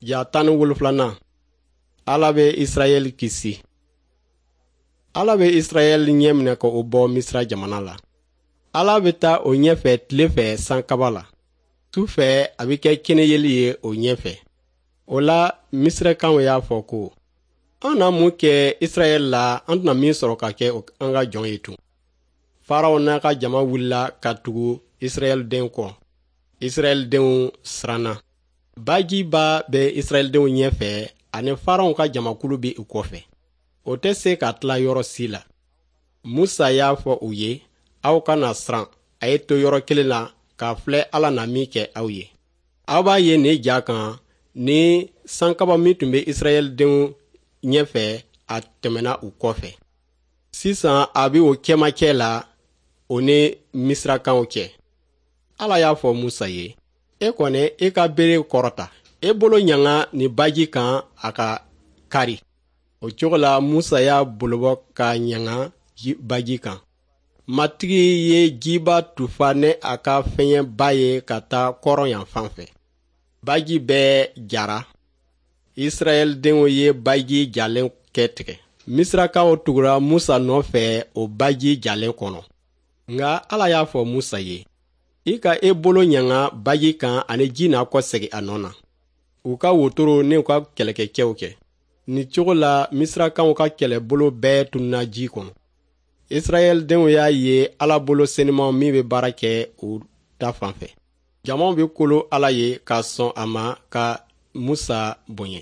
Ja 17nan, Ala bɛ Israɛl kisi. Ala bɛ Israɛl ɲɛminɛ ka o bɔ Misira jamana la. Ala bɛ taa o ɲɛfɛ tile fɛ sankaba la. Su fɛ, a bɛ kɛ kɛnɛyeli ye o ɲɛfɛ. O la, Misirakaw y'a fɔ ko: "An na mun kɛ Israɛl la, an tɛna min sɔrɔ ka kɛ an ka jɔn ye tun?" Faraw n'a ka jama wulila ka tugu Israɛl den kɔ. Israɛl denw siranna. Bajiba bɛ Israɛldenw ɲɛfɛ ani Faraw ka jamakulu bɛ u kɔfɛ. O tɛ se ka tila yɔrɔ si la. Musa y'a fɔ u ye: "Aw kana siran, a ye to yɔrɔ kelen na k'a filɛ Ala na min kɛ aw ye. Aw b'a ye nin ja kan ni sankaba min tun bɛ Israɛldenw ɲɛfɛ, a tɛmɛna u kɔfɛ. Sisan a bɛ o cɛmancɛ la, o ni Misirakaw cɛ." Ala y'a fɔ Musa ye: "E kɔni, e ka bere kɔrɔta, e bolo ɲanga nin baji kan, a ka kari." O cogo la, Musa y'a bolobɔ ka ɲanga baji kan. Matigi ye jiba tufa ni a ka fɛɲɛba ye ka taa kɔrɔn yan fan fɛ. Baji bɛɛ jara. Israɛldenw ye baji jalen kɛ tigɛ. Misirakaw tugura Musa nɔfɛ o baji jalen kɔnɔ. Nka Ala y'a fɔ Musa ye: "I ka e bolo ɲanga baji kan ani ji n'a kɔsegin a nɔ na, u ka wotoro ni u ka kɛlɛkɛcɛw kɛ." Nin cogo la, Misirakaw ka kɛlɛbolo bɛɛ tununna ji kɔnɔ. Israɛldenw y'a ye Ala bolo senuman min bɛ baara kɛ u ta fan fɛ. Jamaw bɛ kolo Ala ye ka sɔn a ma ka Musa bonya.